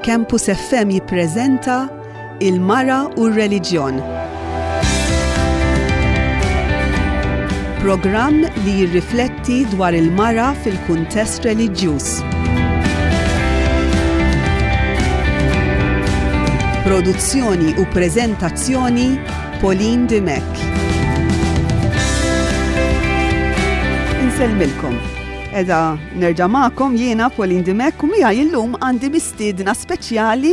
Campus FM jippreżenta Il-Mara u r-Reliġjon. Programm li jirrifletti dwar il-mara fil-kuntest reliġjuż. Produzzjoni u preżentazzjoni Pauline Dimech. Insellmilkom. Edha nerġa' magħkom jiena Pauline Dimech u miegħi illum għandi mistiedna speċjali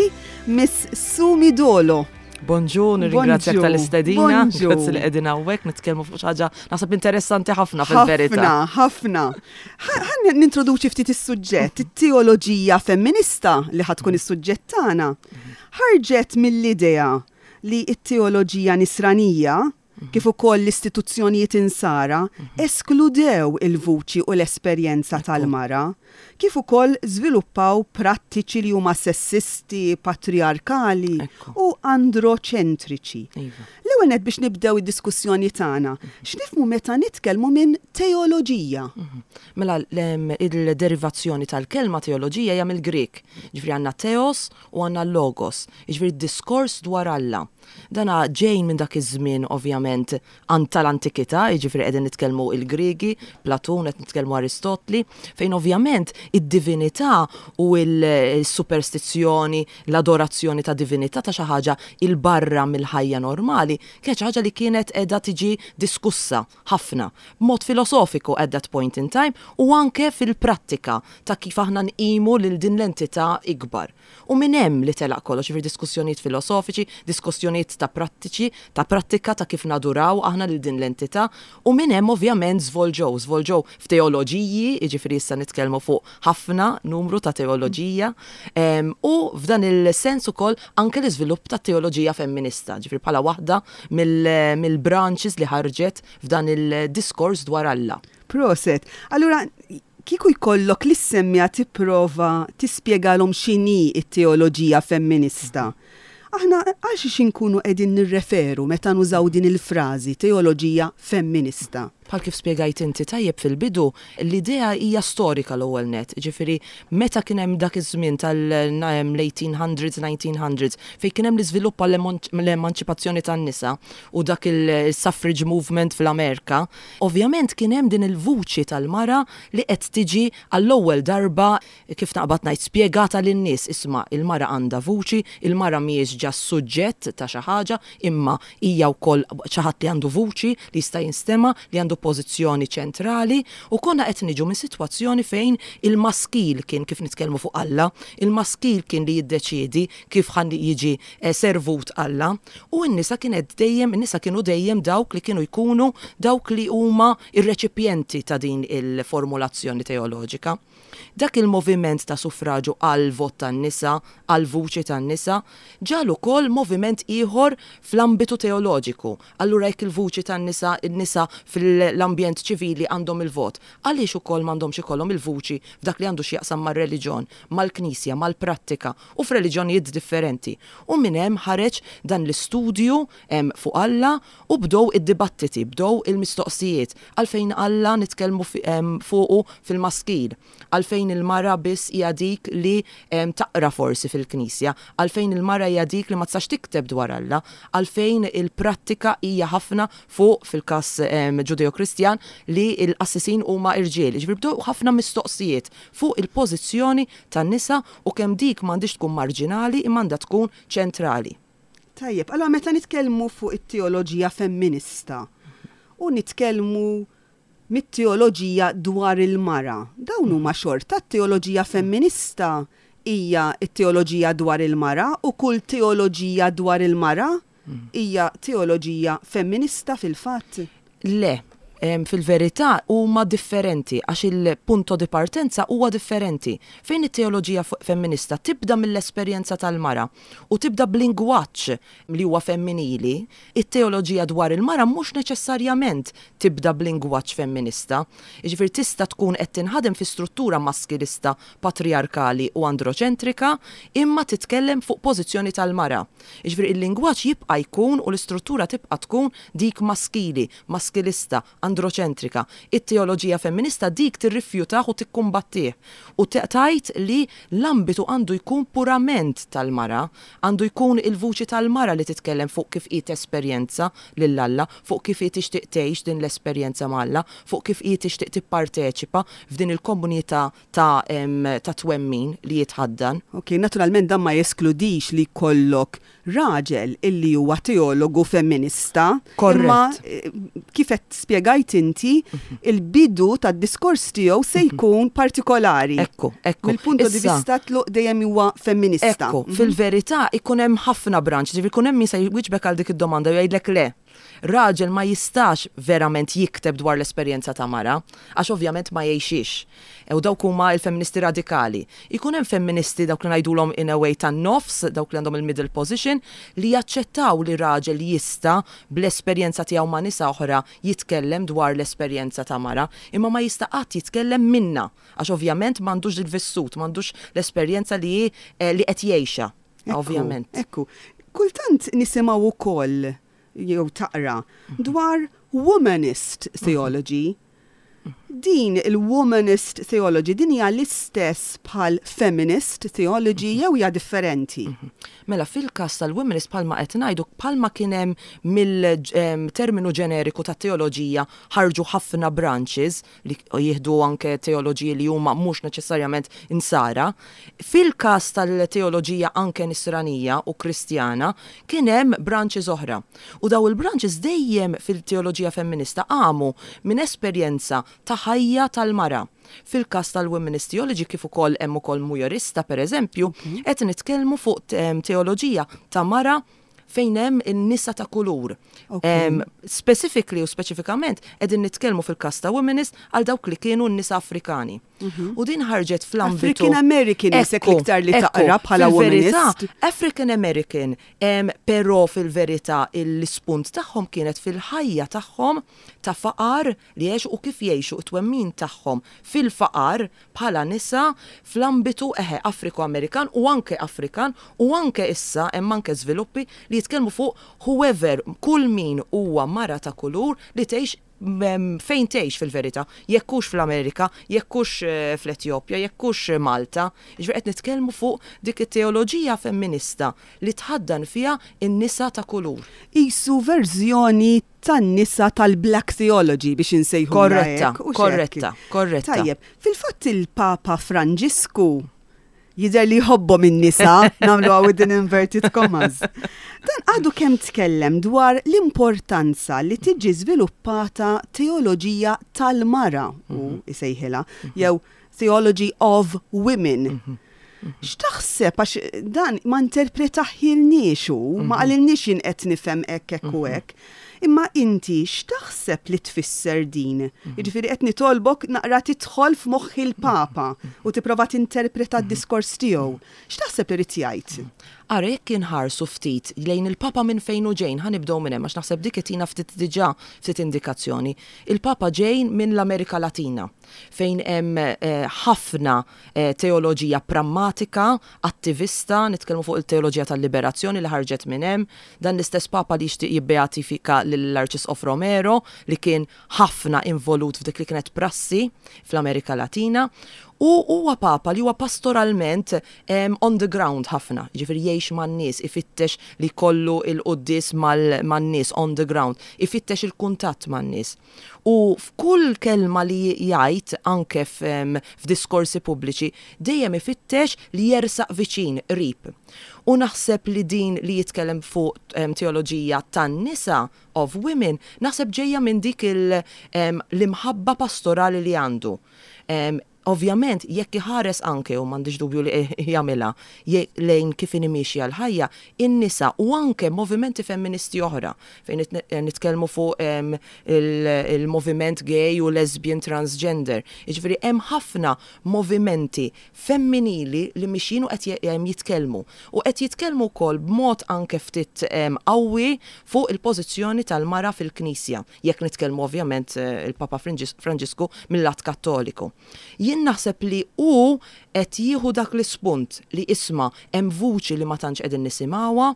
Miss Sumi Dolo. Bonġu, nirringrazzjak tal-istedina. Grazzi li qegħdin hawnhekk nitkellmu fuq xi ħaġa naħseb interessanti ħafna fil-verità. Ħafna, ħafna. Ħa nintroduċi ftit is-suġġett, it-teoloġija femminista li ħa tkun is-suġġett tagħna. Ħarġet mill-idea li t-teoloġija nisranija kif ukoll l-istituzzjonijiet Insara eskludew il-vuċi u l-esperjenza tal-mara, kif ukoll żviluppaw prattiċi li huma sessisti, patrijarkali u androċentriċi. L-ewwel nett biex nibdew id-diskussjoni tagħna, x'nifhmu meta nitkellmu minn teoloġija? Mela il-derivazzjoni tal-kelma teoloġija hija mill-Grieg. Jiġifieri għandna theos u għandna logos, jiġifieri d-diskors dwar Alla. Dana ġej minn dak iż-żmien ovvjament an tal-antikità, jiġifieri qegħdin nitkellmu il-Griegi, Platun, qed nitkellmu Aristotli, fejn ovvjament id-divinità u l-superstizzjoni, l-adorazzjoni ta' divinità ta' xi ħaġa 'il barra mill-ħajja normali, kienet xi ħaġa li kienet qiegħda tiġi diskussa ħafna, b'mod filosofiku at that point in time u anke fil-prattika ta' kif aħna nqimu lil din l-entità ikbar. U minn hemm li telaq kollox, jiġifieri diskussjonijiet filosofiċi, diskussjonijiet ta' prattiċi, ta' prattika ta' kif naduraw aħna lil din l-entità, u minn hemm ovvjament żvolġew, żvolġew f'teoloġiji, jiġifieri issa nitkellmu fuq ħafna numru ta' teoloġija, u f'dan il-sens ukoll anke l-iżvilupp tat-teoloġija femminista, jiġifieri bħala waħda mill-branches li ħarġet f'dan il-diskors dwar Alla. Proset. Allura, Kieku jkollok lis-semmiegħa tipprova tispjegalhom x'inhi t-teoloġija femminista, aħna għal xiex inkunu qegħdin nirreferu meta nużaw din il-frażi teoloġija femminista? Bħal kif spjegajt inti tajjeb fil-bidu, l-idea hija storika l-ewwel nett, jiġifieri meta kien hemm dak iż-żmien tal-1800s, 1900s, fejn kien hemm l-iżvilupp għall-emanċipazzjoni tan-nisa u dak il-suffrage movement fl-Amerika, Ovvjament kien hemm din il-vuċi tal-mara li qed tiġi għall-ewwel darba, kif naqbad ngħid, spjegata lin-nies, isma' il-mara għandha vuċi, il-mara mhijiex ġast suġġett ta' xi ħaġa, imma hija wkoll xi ħadd li għandu vuċi, li jista' jinstema', li għandu pożizzjoni ċentrali, u konna qed niġu minn sitwazzjoni fejn il-maskil kien, kif nitkellmu fuq Alla, il-maskil kien li jiddeċiedi kif ħa jiġi servut Alla, u n-nisa kienet dejjem, in-nisa kienu dejjem dawk li kienu jkunu dawk li huma r-reċipjenti ta' din il-formulazzjoni teoloġika. Dak il-moviment ta' suffraġu għall-vot tan-nisa, għall-vuċi tan-nisa, ġagħal ukoll moviment ieħor fl-ambitu teoloġiku. Allura jekk il-vuċi tan-nisa, in-nisa fl-ambjent ċivili għandhom il-vot, għaliex ukoll m'għandhomx ikollhom il-vuċi f'dak li għandu x'jaqsam mar-reliġjon, mal-Knisja, mal-prattika u f'reliġjonijiet differenti. U minn hemm ħareġ dan l-istudju fuq Alla u bdew id-dibattiti, bdew il-mistoqsijiet, għalfejn Alla nitkellmu fuqu fil-maskil? Għalfejn il-mara biss hija dik li taqra forsi fil-knisja? Għalfejn il-mara hija dik li ma tistax tikteb dwar Alla? Għalfejn il-prattika hija ħafna fuq, fil-każ Ġudeo-Kristjan, li l-qassisin huma rġiel? Jiġifieri bdew ħafna mistoqsijiet fuq il-pożizzjoni tan-nisa u kemm dik m'għandhiex tkun marġinali imma għandha tkun ċentrali. Tajjeb, allura meta nitkellmu fuq it-teoloġija femminista u nitkellmu mit-teoloġija dwar il-mara, dawn huma xorta t-teoloġija femminista hija t-teoloġija dwar il-mara u kull teoloġija dwar il-mara hija teoloġija femminista fil-fatt? Le. Fil-verità huma differenti għax il-punto di partenza huwa differenti. Fejn it-teoloġija femminista tibda mill-esperjenza tal-mara u tibda b'lingwaġġ li huwa femminili, it-teoloġija dwar il-mara mhux neċessarjament tibda b'lingwaġġ femminista. Jiġifieri tista' tkun qed tinħadem fi struttura maskilista, patrijarkali u androċentrika imma titkellem fuq pożizzjoni tal-mara. Jiġifieri il-lingwaġġ jibqa' jkun u l-istruttura tibqa' tkun dik maskili, maskilista, androċentrika. It-teoloġija femminista dik tirrifjutah u tikkumbattih u tgħid li l-ambitu għandu jkun purament tal-mara, għandu jkun il-vuċi tal-mara li titkellem fuq kif hi tesperjenza lil Alla, fuq kif hi tixtieq tgħix din l-esperjenza ma' Alla, fuq kif hi tixtieq tipparteċipa f'din il-komunità ta' ta' twemmin li jitħaddan. Ok, naturalment dan ma jeskludix li jkollok raġel illi huwa teologu femminista. Korrett. Imma kif qed spjegajt inti, il-bidu tad-diskors tiegħu se jkun partikolari. Ekku, ekku. Mill-punto di vista tluq dejjem huwa femminista. Ekku, fil-verità ikun hemm ħafna branch, ġifieri jkun hemm min se jwieġbek għal dik id-domanda u jgħidlek le. Raġel ma jistax verament jikteb dwar l-esperjenza ta' mara, għax ovvjament ma jgħixhiex. U dawk huma l-femministi radikali. Ikun hemm femministi, dawk li ngħidulhom in a way tan-nofs, dawk li għandhom il-middle position, li jaċċettaw li raġel jista' bl-esperjenza tiegħu ma' nisa oħra jitkellem dwar l-esperjenza ta' mara, imma ma jista' qatt jitkellem minnha, għax ovvjament m'għandux il-vissut, m'għandux l-esperjenza li hi li qed jgħixha. Ovvjament. Ekku. Kultant nisimgħu wkoll jew taqra dwar womanist theology. Din il-womanist theology din hija l-istess bħal feminist theology jew hija differenti? Mela fil-każ tal-womanist bħalma qed ngħidu bħalma kien hemm mill-terminu ġeneriku tat-teoloġija ħarġu ħafna branches li jieħdu anke teoloġiji li huma mhux neċessarjament Insara. Fil-każ tal-teoloġija anke Nisranija u Kristjana kien hemm branches oħra. U daw il-branches dejjem fil-teoloġija femminista qamu minn esperjenza ta' ħajja tal-mara. Fil-każ tal-womenist theology kif ukoll hemm ukoll mujorista pereżempju, qed nitkellmu fuq teoloġija ta' mara fejn hemm in-nisa ta' kulur. Specifically u speċifikament qegħdin nitkellmu fil-każ ta' womenist għal dawk li kienu n-nisa Afrikani. U din ħarġet fl-ambitu. African American isek l-iktar li taqra bħala womanist. African American, però fil-verità l-ispunt tagħhom kienet fil-ħajja tagħhom ta' faqar li għexu u kif jgħixu t-twemmin tagħhom fil-faqar bħala nisa fl-ambitu, eħe, Afriko-Amerikan u anke Afrikan u anke issa hemm anke żviluppi li jitkellmu fuq whoever, kull min huwa mara ta' kulur li tgħix fejn tgħix fil-verità, jekk hux fl-Amerika, jekk hux fl-Etjopja, jekk hux Malta. Jiġifieri qed nitkellmu fuq dik it-teoloġija femminista li tħaddan fiha n-nisa ta' kulur. Qisu verżjoni tan-nisa tal-Black Theology biex insejħulha hekk. Korretta, korretta, korretta. Tajjeb, fil-fatt il-Papa Franġisku jidher li jħobbhom in-nisa, nagħmluha within inverted commas. Dan għadu kemm tkellem dwar l-importanza li tiġi żviluppata teoloġija tal-mara, hu jsejħilha, jew Theology of Women. X'taħseb għax dan ma interpretaħilniex hu, ma qalilniex jien qed nifhem hekk hekk u hekk. Imma inti x'taħseb li tfisser din? Jiġifieri qed nitolbok naqra tidħol f'moħħ il-Papa u tipprova tinterpreta d-diskors tiegħu. X'taħseb li ried jgħid? Ara jekk inħarsu ftit lejn il-Papa minn fejn hu ġejn, ħa nibdew minn hemm għax naħseb dik itina ftit diġà ftit indikazzjoni. Il-Papa ġej minn l-Amerika Latina fejn hemm ħafna teoloġija prammatika, attivista, nitkellmu fuq il-teoloġija tal-liberazzjoni li ħarġet minn hemm, dan l-istess Papa li jixtieq jibbeatifika lill-Arċisqof Romero li kien ħafna involut f'dik li kienet prassi fl-Amerika Latina, u huwa Papa li huwa pastoralment on the ground ħafna, jiġifieri jgħix man-nies, ifittex li jkollu l-quddies man-nies on the ground, ifittex il-kuntatt man-nies. U f'kull kelma li jgħid, anke f'diskorsi pubbliċi, dejjem ifittex li jersaq viċin, qrib. U naħseb li din li jitkellem fuq teoloġija tan-nisa, of women, naħseb ġejja minn dik l-imħabba pastorali li għandu. Ovvjament, jekk iħares anke, u m'għandix dubju li jagħmilha, lejn kif inhi miexja l-ħajja, in-nisa u anke movimenti femministi oħra, fejn nitkellmu fuq il-moviment gay u lesbian transgender. Jiġifieri hemm ħafna movimenti femminili li mixjin u qed jitkellmu. U qed jitkellmu wkoll b'mod anke ftit qawwi fuq il-pożizzjoni tal-mara fil-Knisja, jekk nitkellmu ovvjament il-Papa Franġisku mil-lat Kattoliku. Jien Jien naħseb li hu qed jieħu dak l-ispunt li isma' hemm vuċi li ma tantx qegħdin nisimgħuha,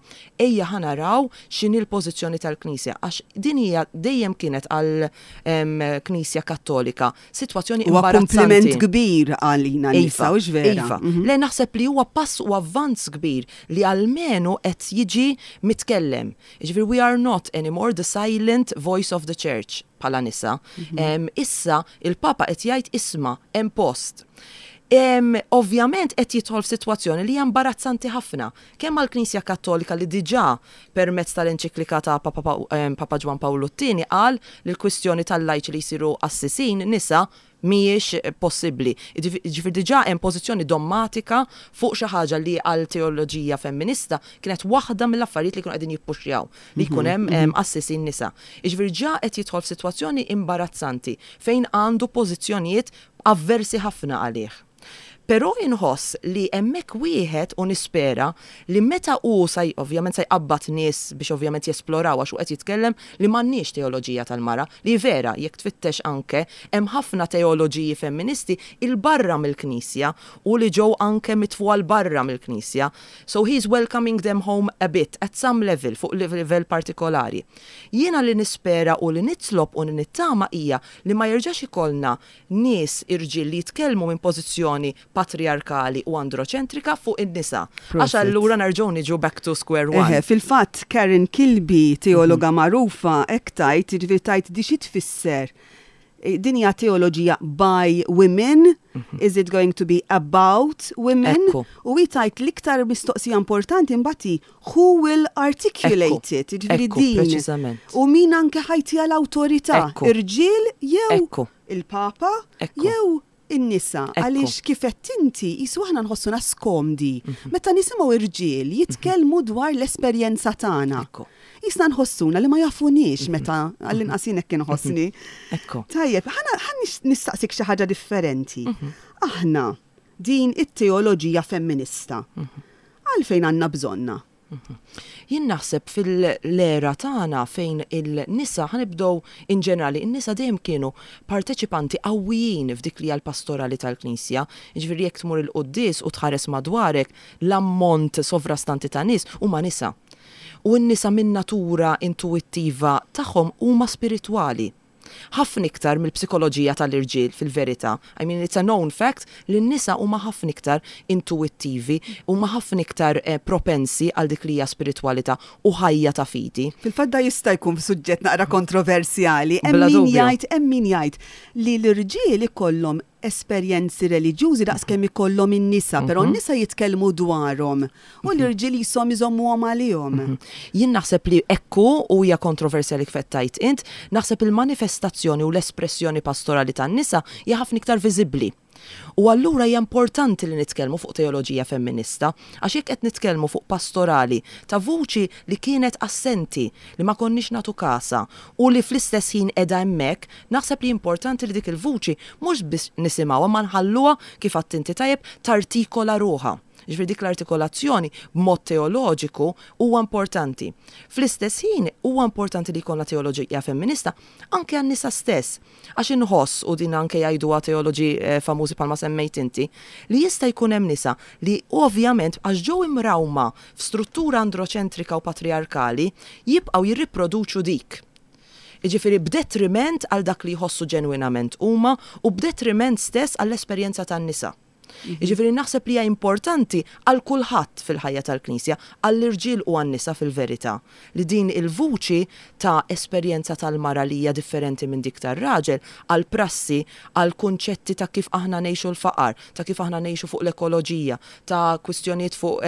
ejja ħa naraw x'inhi l-pożizzjoni tal-Knisja għax din hija dejjem kienet għall Knisja Kattolika sitwazzjoni Huwa imbarazzanti. kumpliment kbir għalina nisa, Iva, hux vera? iva. Le naħseb li huwa pass u avvanz kbir li almenu qed jiġi mitkellem. Jiġifieri we are not anymore the silent voice of the church bħala nisa. Issa il-Papa qed jgħid isma' hemm post. Ovvjament qed jidħol f'sitwazzjoni li hija imbarazzanti ħafna, kemm għall-Knisja Kattolika li diġà permezz tal-enċiklika ta' Papa Papa Ġwann Pawlu t-Tieni qal li l-kwistjoni tal-lajċi li jsiru qassisin nisa mhijiex possibbli. Jiġifieri diġà hemm pożizzjoni dommatika fuq xi ħaġa li għal teoloġija femminista kienet waħda mill-affarijiet li kienu qegħdin jippuxjaw li jkun hemm qassisin nisa. Jiġifieri ġa qed jidħol f'sitwazzjoni imbarazzanti fejn għandu pożizzjonijiet avversi ħafna għalih. Però inħoss li hemmhekk wieħed u nispera li meta hu sa ovvjament sa jqabbad nies biex ovvjament jesploraw għax hu qed jitkellem li m'għandniex teoloġija tal-mara, li vera jekk tfittex anke hemm ħafna teoloġiji femministi 'il barra mill-Knisja u li ġew anke mitfugħa 'l barra mill-Knisja. So he is welcoming them home a bit at some level, fuq livell partikolari. Jiena li nispera u li nitlob u li nittama hija li ma jerġax ikollna nies irġiel li jitkellmu minn pożizzjoni patrijarkali u androċentrika fuq in-nisa. Għax allura nerġgħu niġu back to square one. Eħe, fil-fatt Karen Kilby, teologa magħrufa, hekk tgħid, jiġifieri tgħid di xi tfisser? Din hija teoloġija by women, is it going to be about women? U hi tgħid l-iktar mistoqsija importanti mbagħad hi who will articulate it, jiġifieri din. U min anke ħa jtiha l-awtorità, irġiel jew il-Papa jew in-nisa. Għaliex kif għedt inti, qisu aħna nħossuna skomdi meta nisimgħu irġiel jitkellmu dwar l-esperjenza tagħna. Qisna nħossuna li ma jafuniex meta, għall-inqas jien hekk inħossni. Tajjeb, ħa nistaqsik xi ħaġa differenti. Aħna din it-teoloġija femminista, għalfejn għandna bżonnha? Jien naħseb fil-era tagħna fejn il-nisa, ħa nibdew in ġenerali, in-nisa dejjem kienu parteċipanti qawwijin f'dik li hija l-pastorali tal-Knisja. Jiġifieri jekk tmur il-quddies u tħares madwarek, l-ammont sovrastanti ta' nies huma nisa. U n-nisa min-natura intuwittiva tagħhom huma spiritwali. Ħafna iktar mill-psikoloġija tal-irġiel fil-verità. I mean it's a known fact li n-nisa huma ħafna iktar intuwittivi, huma ħafna iktar propensi għal dik li hija spiritwalità u ħajja ta' fidi. Fil-fatt da jista' jkun suġġett naqra kontroversjali. Hemm min jgħid hemm min jgħid li l-irġiel ikollhom esperjenzi reliġjużi daqs kemm ikollhom in-nisa, però n-nisa jitkellmu dwarhom u l-irġiel qishom iżommuhom għalihom. Jien naħseb li hekk hu u hija kontroversjali kif qed tgħid int, naħseb il-manifestazzjoni u l-espressjoni pastorali tan-nisa hija ħafna iktar viżibbli. U allura hija importanti li nitkellmu fuq teoloġija femminista, għax jekk qed nitkellmu fuq pastorali ta' vuċi li kienet assenti, li ma konniex nagħtu kasha u li fl-istess ħin qiegħda hemmhekk, naħseb li importanti li dik il-vuċi mhux biss nisimgħuha ma nħalluha, kif għedt inti tajjeb, tartikola ruħha. Jiġifieri dik l-artikolazzjoni b'mod teoloġiku huwa importanti. Fl-istess ħin huwa importanti li jkollna teoloġija femminista anke għan-nisa stess. Għax inħoss, u din anke jgħiduha teoloġi famużi bħalma semmejt inti, li jista' jkun hemm nisa li ovvjament għax ġew imrawma f'struttura androċentrika u patrijarkali jibqgħu jirriproduċu dik. Jiġifieri b'detriment għal dak li jħossu ġenwinament huma u b'detriment stess għall-esperjenza tan-nisa. Jiġifieri naħseb li hija importanti għal kulħadd fil-ħajja tal-Knisja, għall-irġiel u għan-nisa fil-verità, li din il-vuċi ta' esperjenza tal-mara li hija differenti minn dik tar-raġel, għall-prassi, għall-kunċetti ta' kif aħna ngħixu l-faqar, ta' kif aħna ngħixu fuq l-ekoloġija, ta' kwistjonijiet fuq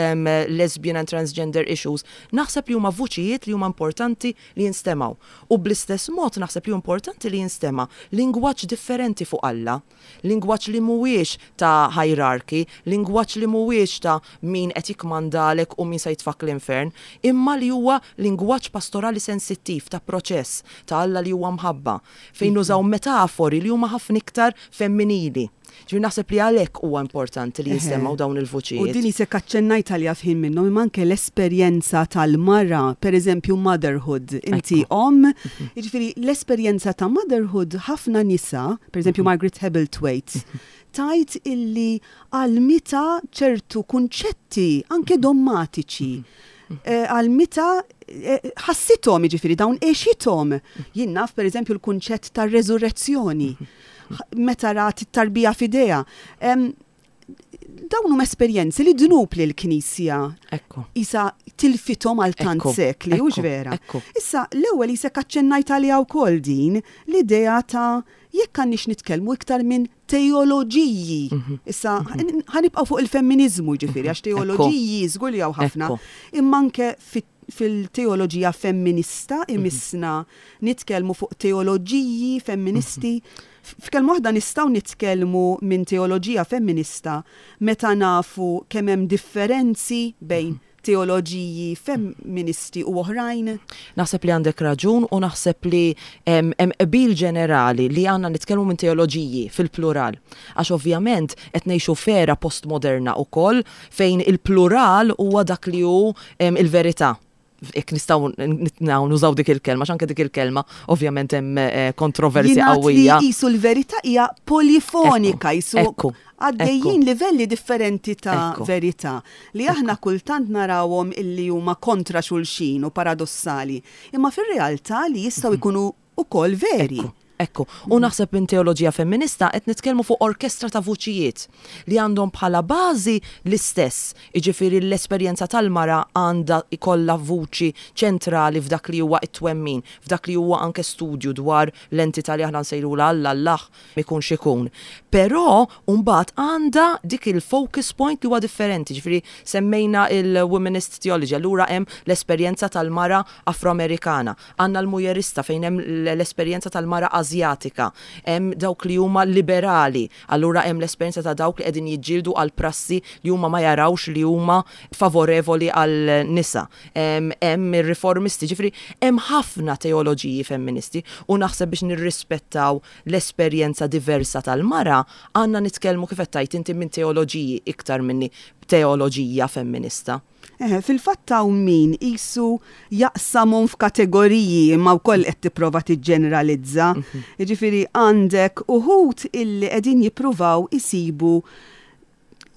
lesbian and transgender issues, naħseb li huma vuċijiet li huma importanti li jinstemgħu. U bl-istess mod naħseb li hu importanti li jinstema' lingwaġġ differenti fuq Alla. Lingwaġġ li mhuwiex ta' hierarchy, lingwaġġ li mhuwiex ta' min qed jikkmandalek u min se jitfgħek l-infern, imma li huwa lingwaġġ pastorali sensittiv ta' proċess, ta' Alla li huwa mħabba, fejn nużaw metafori li huma ħafna iktar femminili. Ġifieri naħseb li għalhekk huwa importanti li jinstemgħu dawn il-vuċijiet. U din qisek aċċennajt għaliha f'ħin minnhom, imma anke l-esperjenza tal-mara, pereżempju motherhood, inti omm, jiġifieri l-esperjenza ta' motherhood ħafna nisa, pereżempju Margaret Hebblethwaite, Tgħid illi għallmitha ċertu kunċetti anke dommatiċi. Għallmitha ħassithom jiġifieri dawn għexithom. Jien naf pereżempju l-kunċett tar-reżurrezzjoni meta rat it-tarbija f'idejha. Dawn huma esperjenzi li dnub li l-Knisja isa tilfithom għal tant sekli, hux vera? Issa, l-ewwel isek aċċennajt għaliha wkoll din l-idea ta' jekk għandniex nitkellmu iktar minn teoloġiji. Issa, ħa nibqgħu fuq il-femminiżmu jiġifieri, għax teoloġiji żgur li hawn ħafna, imma anke fil-teoloġija femminista imissna nitkellmu fuq teoloġiji femministi. F'kelma waħda nistgħu nitkellmu minn teoloġija femminista meta nafu kemm hemm differenzi bejn teoloġiji femministi u oħrajn? Naħseb li għandek raġun u naħseb li hemm qbil ġenerali li għandna nitkellmu minn teoloġiji fil-plural. Għax ovvjament qed ngħixu f'era postmoderna wkoll fejn il-plural huwa dak li hu il-verità. Jekk nistgħu nużaw dik il-kelma, għax anke dik il-kelma ovvjament hemm kontroversja qawwija. Jingħad li qisu l-verità hija polifonika, qisu għaddejjin livelli differenti ta' verità li aħna kultant narawhom illi huma kontra xulxin u paradossali, imma fir-realtà li jistgħu jkunu ukoll veri. Ekku, u naħseb minn teoloġija femminista qed nitkellmu fuq orkestra ta' vuċijiet li għandhom bħala bażi l-istess, jiġifieri l-esperjenza tal-mara għandha jkollha vuċi ċentrali f'dak li huwa t-twemmin, f'dak li huwa anke studju dwar l-entità li aħna nsejrulha Alla, Allah, ikun x'ikun. Però mbagħad għandha dik il-focus point li huwa differenti, jiġifieri semmejna l-womanist theology, allura hemm l-esperjenza tal-mara Afro-Amerikana, Għandna l-mujerista fejn hemm l-esperjenza tal-mara Asjatika, hemm dawk li huma liberali, allura hemm l-esperjenza ta' dawk li qegħdin jiġġieldu għal prassi li huma ma jarawx li huma favorevoli għal nisa. Hemm ir-riformisti, ġifieri hemm ħafna teoloġiji femministi u naħseb biex nirrispettaw l-esperjenza diversa tal-mara għandna nitkellmu kif qed tgħid inti minn teoloġiji iktar minni teoloġija femminista. Eħe, fil-fatt hawn min qisu jaqsamhom f'kategoriji imma wkoll qed tipprova tiġġeneralizza. Jiġifieri għandek uħud illi qegħdin jippruvaw isibu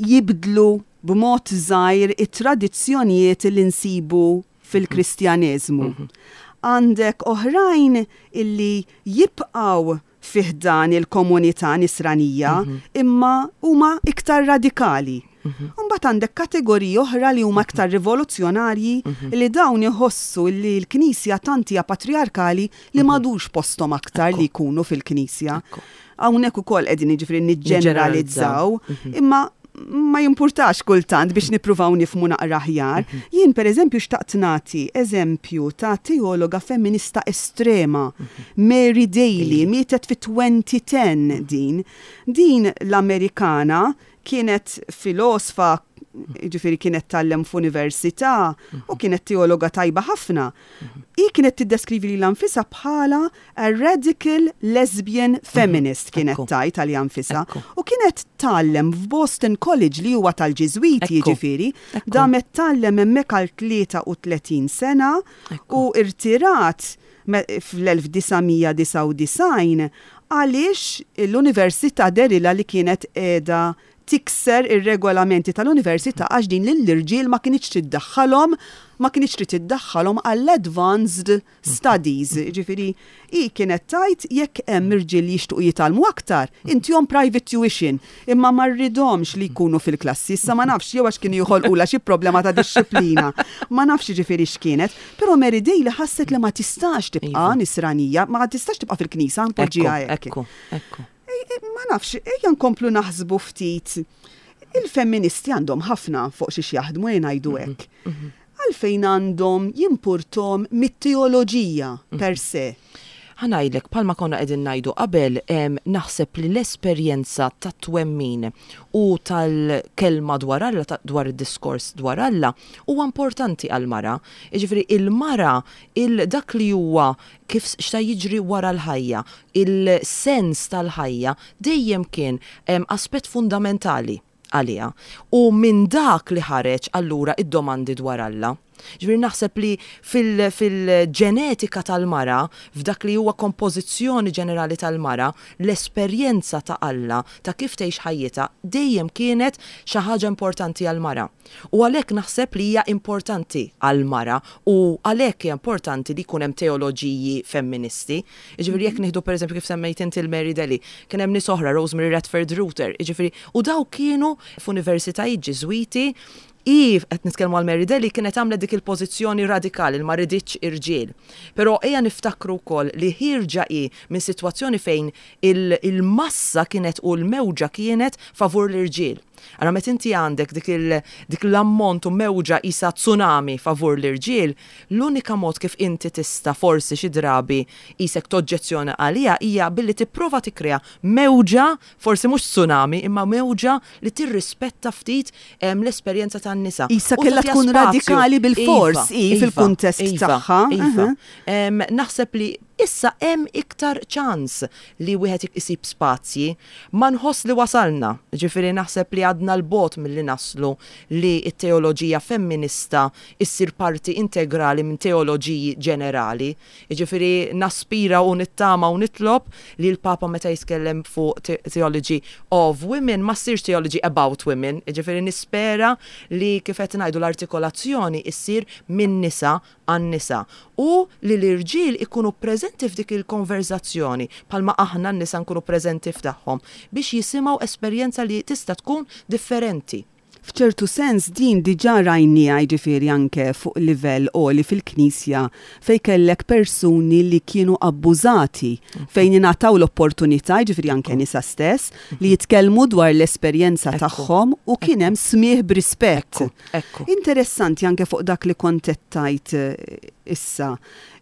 jibdlu b'mod żgħir it-tradizzjonijiet li nsibu fil-Kristjaneżmu. Għandek oħrajn illi jibqgħu fi ħdan il-komunità Nisranija imma huma iktar radikali. U mbagħad għandek kategoriji oħra li huma iktar rivoluzzjonarji li dawn iħossu li l-Knisja tant hija patrijarkali li m'għadux posthom aktar li jkunu fil-Knisja. Hawnhekk ukoll qegħdin jiġifieri niġġeneralizzaw, imma ma jimpurtax kultant biex nippruvaw nifhmu naqra aħjar. Jien pereżempju xtaqt nagħti eżempju ta' teologa femminista estrema, Mary Daly, mietet fi 2010 din. Din l-Amerikana kienet filosfa, jiġifieri kienet tgħallem f'università u kienet teologa tajba ħafna. Hi kienet tiddeskrivi lilha nfisha bħala A radical lesbian feminist kienet tgħid għaliha nfisha. U kienet tgħallem f'Boston College li huwa tal-Ġiżwiti jiġifieri. Damet tgħallem hemmhekk għal 33 sena u rtirat fl-1999 għaliex l-università dehrilha li kienet qiegħda tikser ir-regolamenti tal-università għax din lill-irġiel ma kinitx trid ddaħħalhom ma kinitx trid iddaħħalhom għall-advanced studies. Jiġifieri hi kienet tgħid jekk hemm irġiel li jixtiequ jitgħallmu aktar, intihom private tuition, imma ma rridhomx li jkunu fil-klassi. Issa ma nafx jew għax kienu joħolqulha xi problema ta' dixxiplina. Ma nafx jiġifieri x'kienet. Però Mary Daly ħasset li ma tistax tibqa' Nisranija, ma tistax tibqa' fil-Knisja, npoġġiha hekk. Ekku, ekku. Ma nafx, ejja nkomplu naħsbu ftit. Il-femministi għandhom ħafna fuq xiex jaħdmu, ejja ngħidu hekk. Għalfejn għandhom jimpurthom mit-teoloġija per se? Ħa ngħidlek, bħalma konna qegħdin ngħidu qabel, naħseb li l-esperjenza tat-twemmin u tal-kelma dwar Alla, dwar id-diskors dwar Alla, huwa importanti għall-mara. Jiġifieri il-mara, dak li huwa kif x'ta jiġri wara l-ħajja, il-sens tal-ħajja dejjem kien aspett fundamentali għaliha. U minn dak li ħareġ allura id-domandi dwar Alla. Ġifieri naħseb li fil-ġenetika tal-mara, f'dak li huwa kompożizzjoni ġenerali tal-mara, l-esperjenza ta' Alla, ta' kif tgħix ħajjitha, dejjem kienet xi ħaġa importanti għall-mara. U għalhekk naħseb li hija importanti għall-mara u għalhekk hija importanti li jkun hemm teoloġiji femministi. Jiġifieri jekk nieħdu pereżempju kif semmejt inti l-Mary Daly, kien hemm nies oħra, Rosemary Radford Ruether, jiġifieri u dawk kienu f'universitajiet Ġiżwiti Hi, qed nitkellmu għal Mary Daly, kienet għamlet dik il-pożizzjoni radikali li ma riditx irġiel. Però ejja niftakru wkoll li ħierġa hi minn sitwazzjoni fejn il-massa kienet u l-mewġa kienet favur l-irġiel. Allura meta inti għandek dik il, dik l-ammont u mewġa qisha tsunami favur l-irġiel, l-unika mod kif inti tista' forsi xi drabi qisek toġġezzjona għaliha hija billi tipprova tikkrea mewġa Forsi mhux tsunami, imma mewġa li tirrispetta ftit l-esperjenza tan-nisa. Qisha kellha tkun radikali bilfors hi fil-kuntest tagħha. Iva. Naħseb li issa hemm iktar ċans li wieħed isib spazji. Ma nħoss li wasalna, ġifieri naħseb li għadna 'l bogħod milli naslu li t-teoloġija femminista ssir parti integrali minn teoloġiji ġenerali. Jiġifieri naspira u nittama u nitlob li l-Papa meta jitkellem fuq theology of women ma ssirx theology about women, jiġifieri nispera li kif qed ngħidu l-artikolazzjoni ssir min-nisa għan-nisa u li l-irġiel ikunu preżenti f'dik il-konverżazzjoni bħalma aħna n-nisa nkunu preżenti f'tagħhom biex jisimgħu esperjenza li tista' tkun differenti. F'ċertu sens din diġà rajnieha jiġifieri anke fuq livell għoli fil-Knisja fejn kellek persuni li kienu abbużati fejn ingħataw l-opportunità, jiġifieri anke nisa stess, li jitkellmu dwar l-esperjenza tagħhom u kien hemm smigħ b'rispett. Interessanti anke fuq dak li kont qed tgħid issa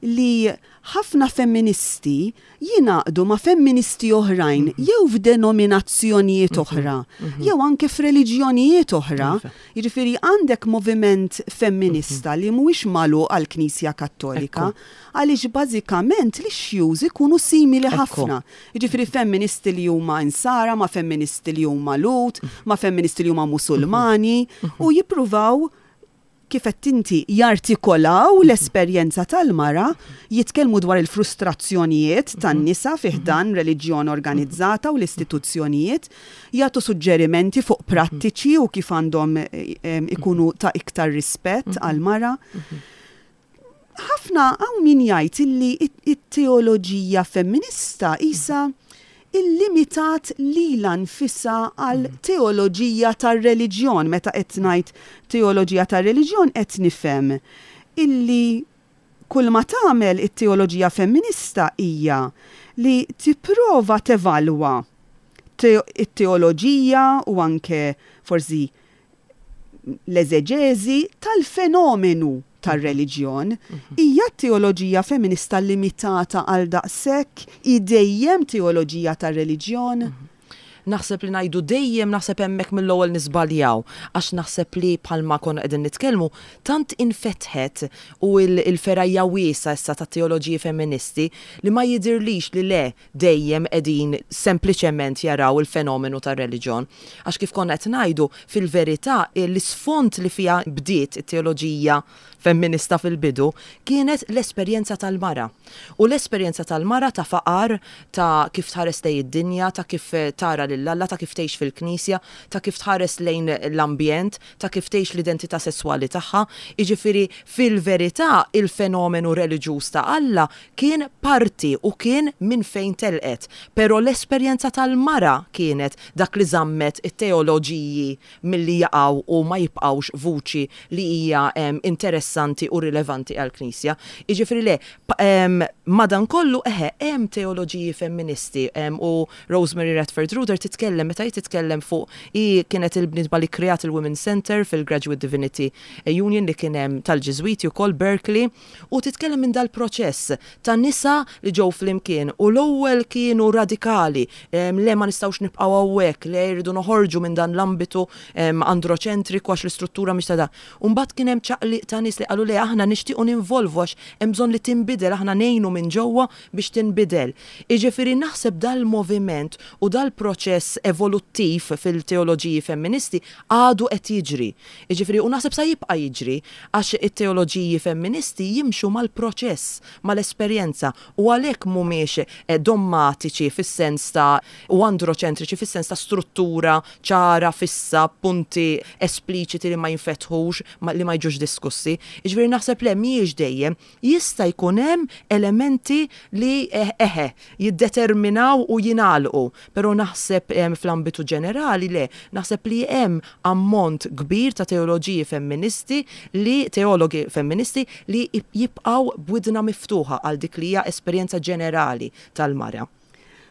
li ħafna femministi jingħaqdu ma' femministi oħrajn jew f'denominazzjonijiet oħra jew anke f'reliġjonijiet oħra. Jiġifieri għandek moviment femminista li mhuwiex magħluq għall-Knisja Kattolika għaliex bażikament l-issues ikunu simili ħafna. Jiġifieri femministi li huma Insara ma' femministi li huma Lhud, ma' femministi li huma Musulmani u jippruvaw kif għedt inti, jartikolaw l-esperjenza tal-mara, jitkellmu dwar il-frustrazzjonijiet tan-nisa fi ħdan reliġjon organizzata u l-istituzzjonijiet, jagħtu suġġerimenti fuq prattiċi u kif għandhom ikunu ta' iktar rispett għall-mara. Ħafna hawn min jgħid illi t-teoloġija femminista qisha illimitat lilha nfisha għal teoloġija tar-reliġjon. Meta qed ngħid teoloġija tar-reliġjon qed nifhem illi kull ma tagħmel it-teoloġija femminista hija li tipprova tevalwa it-teoloġija u anke forsi l-eżeġeżi tal-fenomenu tar-reliġjon. Hija t-teoloġija femminista limitata għal daqshekk? Hi dejjem teoloġija tar-reliġjon? Naħseb li ngħidu dejjem naħseb hemmhekk mill-ewwel niżbaljaw għax naħseb li bħalma konna qegħdin nitkellmu tant infetħet u l-fergħa hija wiesgħa issa tat-teoloġiji femministi li ma jidhirlix li le dejjem qegħdin sempliċement jaraw il-fenomenu tar-reliġjon. Għax kif konna qed ngħidu, fil-verità l-isfond li fiha bdiet it-teoloġija femminista fil-bidu kienet l-esperjenza tal-mara. U l-esperjenza tal-mara ta' faqar, ta' kif tħares lejn id-dinja, ta' kif tara lil Alla, ta' kif tgħix fil-knisja, ta' kif tħares lejn l-ambjent, ta' kif tgħix l-identità sesswali tagħha. Jiġifieri fil-verità il-fenomenu reliġjuż ta' Alla kien parti u kien minn fejn telqet. Però l-esperjenza tal-mara kienet dak li żammet it-teoloġiji milli jaqgħu u ma jibqgħux vuċi li hija interessanti u rilevanti għall-Knisja. Jiġifieri le, madankollu eħe hemm teoloġiji femministi u Rosemary Radford Ruether titkellem, meta hi titkellem fuq, hi kienet il-bniedma li kkreat il-Women's Centre fil-Graduate Divinity Union li kien hemm tal-Ġiżwiti wkoll, Berkeley, u titkellem minn dal-proċess ta' nisa li ġew flimkien u l-ewwel kienu radikali, le ma nistgħux nibqgħu hawnhekk, le rridu noħorġu minn dan l-ambitu androċentriku għax l-istruttura mhix ta' dan. U mbagħad kien hemm ċaqliq ta' nies li qalu le aħna nixtiequ ninvolvu għax hemm bżonn li tinbidel, aħna ngħinu minn ġewwa biex tinbidel. Jiġifieri naħseb dal-moviment u dal-proċess. il-proċess evoluttiv fil-teoloġiji femministi għadu qed jiġri. Jiġifieri u naħseb sa jibqa' jiġri għax it-teoloġiji femministi jimxu mal-proċess, mal-esperjenza u għalhekk mhumiex dommatiċi fis-sens ta' u androċentriċi fis-sens ta' struttura ċara, fissa, punti espliċiti li ma jinfetħux, li ma jiġux diskussi. Jiġifieri naħseb le mhijiex dejjem. Jista' jkun hemm elementi li eħe, jiddeterminaw u jingħalqu, però naħseb fl-ambitu ġenerali le, naħseb li hemm ammont kbir ta' teoloġiji femministi li, teologi femministi li jibqgħu b'widna miftuħa għal dik li hija esperjenza ġenerali tal-mara.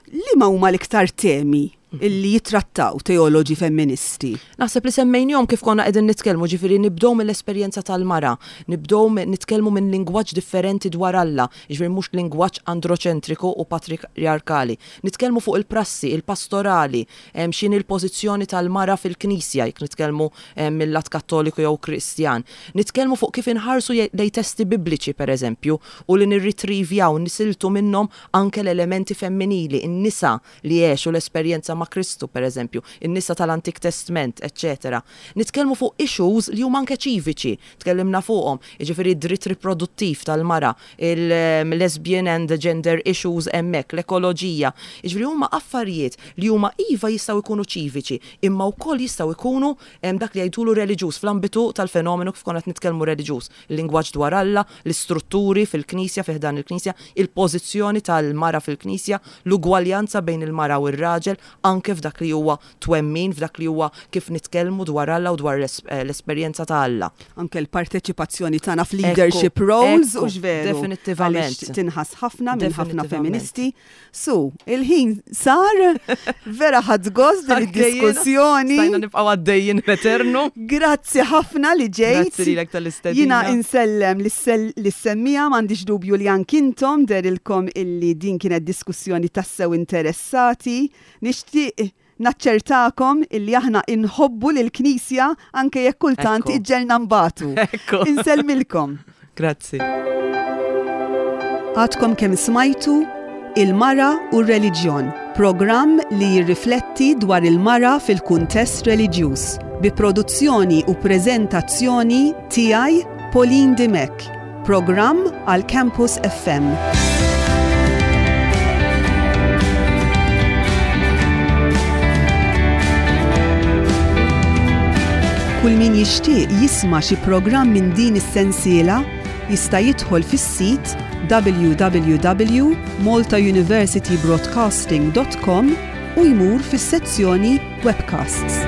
Liema huma l-iktar temi li jittrattaw teoloġi femministi? Naħseb li semmejnihom kif konna qegħdin nitkellmu, ġifieri nibdew mill-esperjenza tal-mara, nibdew nitkellmu minn lingwaġġ differenti dwar Alla, jiġifieri mhux lingwaġġ androċentriku u patrijarkali. Nitkellmu fuq il-prassi, il-pastorali, x'inhi l-pożizzjoni tal-mara fil-Knisja, jekk nitkellmu mil-lat Kattoliku jew Kristjan. Nitkellmu fuq kif inħarsu lejn testi Bibliċi, pereżempju, u li nirritrivjaw, nisiltu minnhom Anke l-elementi femminili, in-nisa li għexu l-esperjenza ma' Kristu, per eżempju, in-nisa tal-Antik Testment, eċċetera. Nitkellmu fuq issues li huma anke ċiviċi, tkellimna fuqhom, jiġifieri d-dritt riproduttiv tal-mara, il-lesbian and gender issues hemmhekk, l-ekoloġija. Jiġifieri huma affarijiet li huma iva jistgħu jkunu ċiviċi, imma wkoll jistgħu jkunu dak li jgħidulu reliġjuż fl-ambitu tal-fenomenu kif konna qed nitkellmu reliġjuż. Il-lingwaġġ dwar Alla, l-istrutturi fil-Knisja, fi ħdan il-Knisja, il-pożizzjoni tal-mara fil-Knisja, l-ugwaljanza bejn il-mara u r-raġel, anke f'dak li huwa twemmin, f'dak li huwa kif nitkellmu dwar Alla u dwar l-esperjenza ta' Alla. Anke l-parteċipazzjoni tagħna f'leadership roles, hux veru? Definittivament. Għaliex tinħass ħafna minn ħafna femministi. Su, il-ħin sar, vera ħadd gost din id-diskussjoni. Stajna nibqgħu għaddejjin l-eternu. Grazzi ħafna li ġejt. Grazzi lilek tal-istedina. Jiena insellem lis-semmija m'għandix dubju li anki intom derilkom illi din kienet diskussjoni tassew interessati. Nixtieq naċċertakom illi aħna inħobbu lill-Knisja anke jekk kultant iġġegħelna nbatu. Insellmilkom. Grazzi. Għadkom kemm smajtu Il-Mara u r-Reliġjon, programm li jirrifletti dwar il-mara fil-kuntest reliġjuż, bi produzzjoni u preżentazzjoni tiegħi Pauline Dimech. Programm għal Campus FM. Kull min jixtieq jisma' xi programm minn din is-sensiela jista' jidħol fis-sit www.maltauniversitybroadcasting.com u jmur fis-sezzjoni Webcasts.